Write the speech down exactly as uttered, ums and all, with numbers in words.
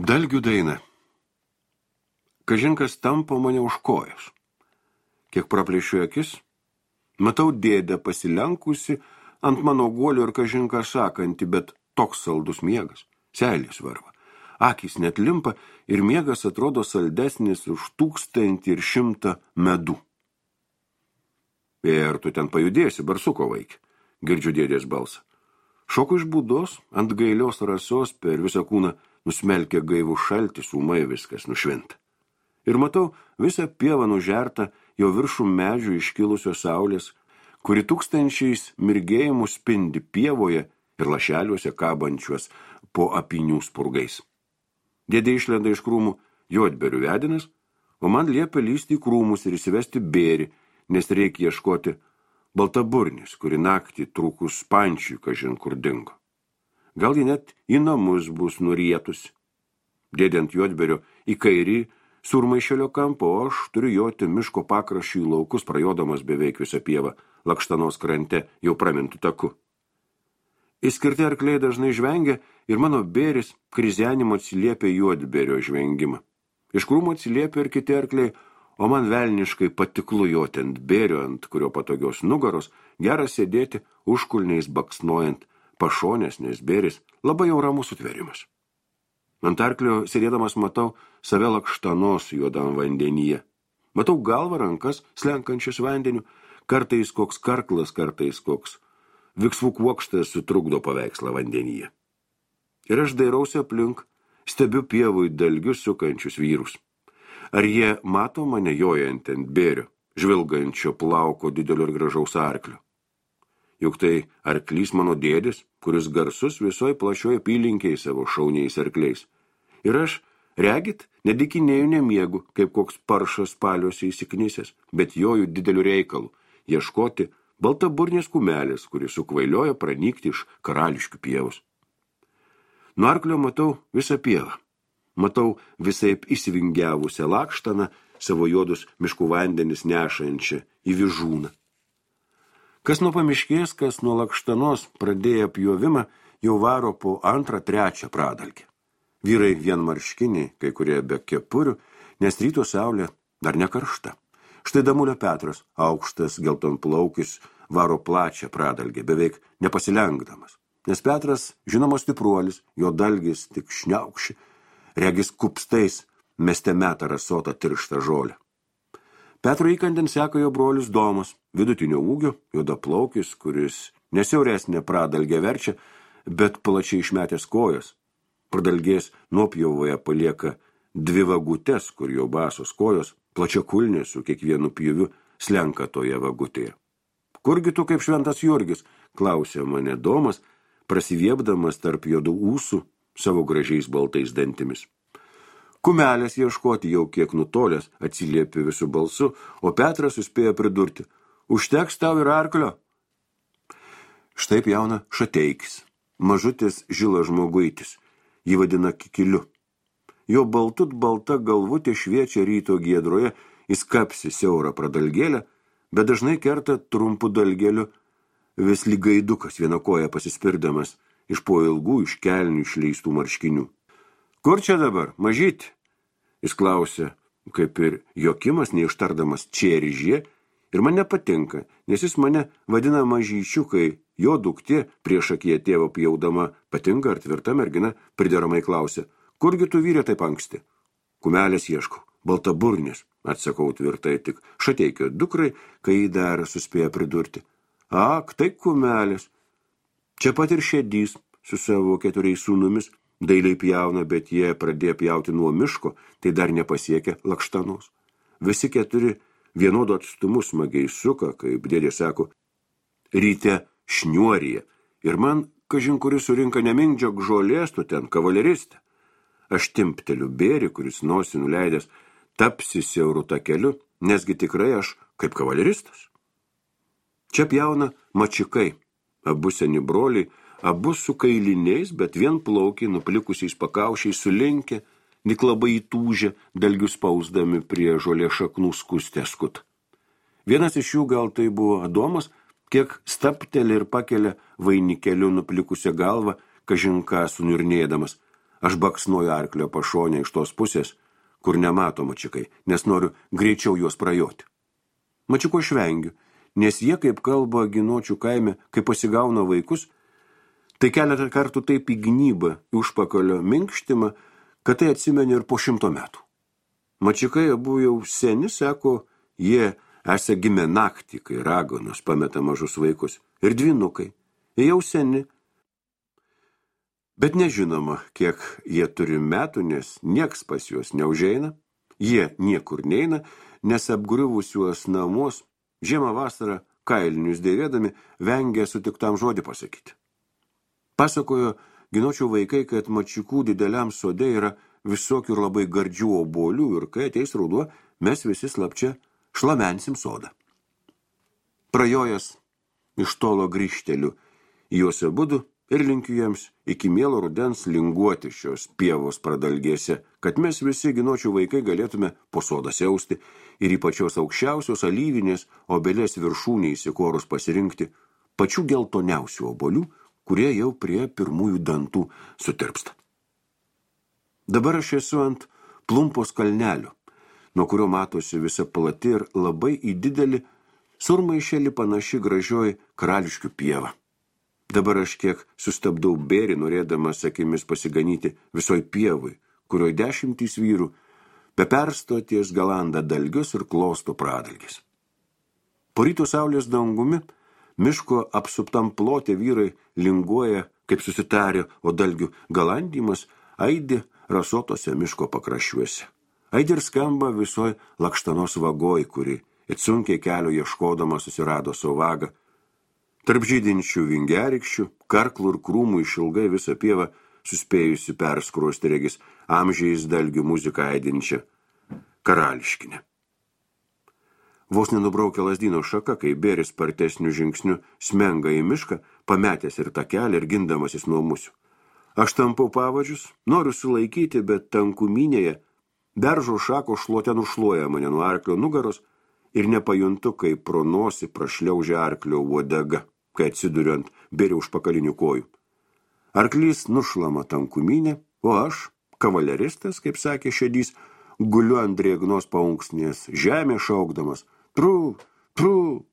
Dalgių daina. Kažinkas tampo mane už kojas. Kiek praplėšiu akis, matau dėdę pasilenkusi ant mano guolio ir kažinką sakantį, bet toks saldus miegas, seilės varva. Akys net limpa ir miegas atrodo saldesnis už tūkstantį ir šimtą medų. Ir tu ten pajudėsi, barsuko vaikį, girdžiu dėdės balsą. Šoku iš būdos, ant gailios rasos per visą kūną nusmelkia gaivų šaltis, ūmai viskas nušvinta. Ir matau visą pievą nužertą, jo viršų medžių iškilusios saulės, kuri tūkstančiais mirgėjimų spindi pievoje ir lašeliuose kabančiuos po apynių spurgais. Dėdė išlenda iš krūmų juodberių vedinas, o man liepia lysti į krūmus ir įsivesti bėrį, nes reikia ieškoti baltaburnis, kuri naktį trūkus pančiui kažin kur dingo. Gal ji net į namus bus nurietusi. Dėdė ant juodberio į kairį surmaišelio kampą, o aš turiu joti miško pakraščių į laukus, prajodamas beveik visą pievą, Lakštanos krante jau pramintų taku. Įskirti arkliai dažnai žvengia ir mano bėris krizenimo atsiliepia juodberio žvengimą. Iš krūmo atsiliepia ir kiti arkliai, o man velniškai patiklu joti ant bėrio, ant kurio patogios nugaros, geras sėdėti užkulniais baksnojant pašonės, nes bėris labai jau ramus sutverimas. Ant arklio sėdėdamas matau save Lakštanos juodam vandenyje. Matau galvą, rankas slenkančias vandeniu, kartais koks karklas, kartais koks viksvų kuokštas sutrukdo paveikslą vandenyje. Ir aš dairausi aplink, stebiu pievui dalgius sukančius vyrus. Ar jie mato mane jojant ant bėrio, žvilgančio plauko didelio ir gražaus arklio? Juk tai arklys mano dėdės, kuris garsus visoj plačioj apylinkėj savo šauniais arkliais. Ir aš, regit, nedikinėjau nemiegu, kaip koks paršas paliuose įsiknisęs, bet joju dideliu reikalu, ieškoti baltaburnės kumelės, kuris sukvailioja pranykti iš karališkių pievos. Nuo arklio matau visą pievą. Matau visaip įsivingiavusią Lakštaną, savo juodus miškų vandenis nešančią į Vyžūną. Kas nuo pamiškės, kas nuo Lakštanos pradėję pjovimą, jau varo po antrą, trečią pradalgę. Vyrai vienmarškiniai, kai kurie be kepurių, nes ryto saulė dar nekaršta. Štai Damulio Petras, aukštas geltonplaukis, varo plačią pradalgę, beveik nepasilenkdamas. Nes Petras, žinomas stipruolis, jo dalgis tik šniaukši, regis kupstais meste meta rasotą tirštą žolę. Petro įkandin seka jo brolis Domas, vidutinio ūgio, juodaplaukis, kuris nesiauresnė pradalgę verčia, bet plačiai išmetęs kojas. Pradalgės nuopjauvoje palieka dvi vagutes, kur jo basos kojos, plačiakulnės su kiekvienu pjūviu slenka toje vagutėje. Kurgi tu kaip šventas Jurgis, klausė mane Domas, prasiviepdamas tarp juodų ūsų savo gražiais baltais dantimis. Kumelės ieškoti jau kiek nutolęs, atsiliepė visų balsu, o Petras suspėjo pridurti, užteks tau ir arklio. Štai jauna Šateikis, mažutis žilas žmoguitis, jį vadina Kikiliu. Jo baltut balta galvutė šviečia ryto giedroje, jis kapsi siaurą pradalgėlę, bet dažnai kerta trumpu dalgėliu, vis lyg gaidukas viena koja pasispirdamas iš po ilgų iš kelnių išleistų marškinių. Kur čia dabar, mažyti? Jis klausė, kaip ir Jokimas, neištardamas čieržė, ir man nepatinka, nes jis mane vadina mažyčiu, kai jo duktė prieš akiją tėvo pjaudama patinka ar tvirta mergina, prideramai klausė, kurgi tu vyrė taip anksti? Kumelės ieškau, baltaburnės, atsakau tvirtai tik Šateikio dukrai, kai jį dar suspėjo pridurti. Ak, tai kumelės. Čia pat ir šedys su savo keturiais sūnumis, dailiai pjauna, bet jie pradėjo pjauti nuo miško, tai dar nepasiekia Lakštanos. Visi keturi vienodo atstumu smagiai suka, kaip dėdė sako, ryte šniuoryje. Ir man, kažin kuris surinka nemindžiok žolės, tu ten kavaleristė. Aš timpteliu bėrį, kuris nosį nuleidęs, tapsi siauru takeliu, nesgi tikrai aš kaip kavaleristas. Čia pjauna mačikai, abu seni broliai, abu su kailiniais, bet vien plaukiai nuplikusiais pakaušiais sulinkę, nik labai įtūžę, dalgius spausdami prie žolės šaknų skustę skut. Vienas iš jų gal tai buvo Adomas, kiek stapteli ir pakelia vainikeliu nuplikusią galvą, kažin ką suniurnėdamas. Aš baksnuoju arklio pašonę iš tos pusės, kur nemato mačiukai, nes noriu greičiau juos prajoti. Mačiuko švengiu, nes jie, kaip kalba Ginočių kaime, kai pasigauna vaikus, tai keletą kartų taip įgnybą į užpakalio minkštimą, kad tai atsimeni ir po šimto metų. Mačiukai abu jau seni, sako, jie esą gimė naktį, kai raganos pameta mažus vaikus, ir dvynukai, jie jau seni. Bet nežinoma, kiek jie turi metų, nes nieks pas juos neužeina, jie niekur neina, nes apgriuvusiuos namus, žiemą vasarą kailinius dėvėdami, vengia sutiktam žodį pasakyti. Pasakojo Ginočių vaikai, kad Mačiukų dideliam sode yra visokių ir labai gardžių obuolių ir kai ateis ruduo, mes visi slapčia šlamensim sodą. Prajojęs iš tolo grįžteliu į juos abudu ir linkiu jiems iki mielo rudens linguoti šios pievos pradalgėse, kad mes visi Ginočių vaikai galėtume po sodą siausti ir į pačios aukščiausios alyvinės obelės viršūnį įsikorus pasirinkti pačių geltoniausių obuolių, kurie jau prie pirmųjų dantų sutirpsta. Dabar aš esu ant plumpos kalnelio, nuo kurio matosi visa plati ir labai į didelį surmaišelį panaši gražioji Karališkių pieva. Dabar aš kiek sustabdau bėrį, norėdamas akimis pasiganyti visoj pievui, kurioj dešimtys vyrų be persto ties galanda dalgius ir klosto pradalgis. Po ryto saulės dangumi miško apsuptam plote vyrai linguoja, kaip susitarė, o dalgių galandymas aidi rasotose miško pakraščiuose. Aidi ir skamba visoj Lakštanos vagoj, kuri it sunkiai kelio ieškodama susirado savo vagą. Tarp žydinčių vingerikščių, karklų ir krūmų išilgai visą pievą suspėjusi perskruosti regis amžiais dalgių muziką aidinčią Karališkinę. Vos nenubraukia lazdyno šaka, kai bėris spartesniu žingsniu smenga į mišką, pametęs ir tą kelią ir gindamasis nuo musių. Aš tampau pavadžius, noriu sulaikyti, bet tankumynėje beržo šako šluote nušluoja mane nuo arklio nugaros ir nepajuntu, kai pro nosį prašliaužia arklio uodega, kai atsiduriu ant bėrio užpakalinių kojų. Arklys nušlama tankumynė, o aš, kavaleristas, kaip sakė Šedys, guliu ant drėgnos paunksnės žemė šaukdamas. Tru, tru,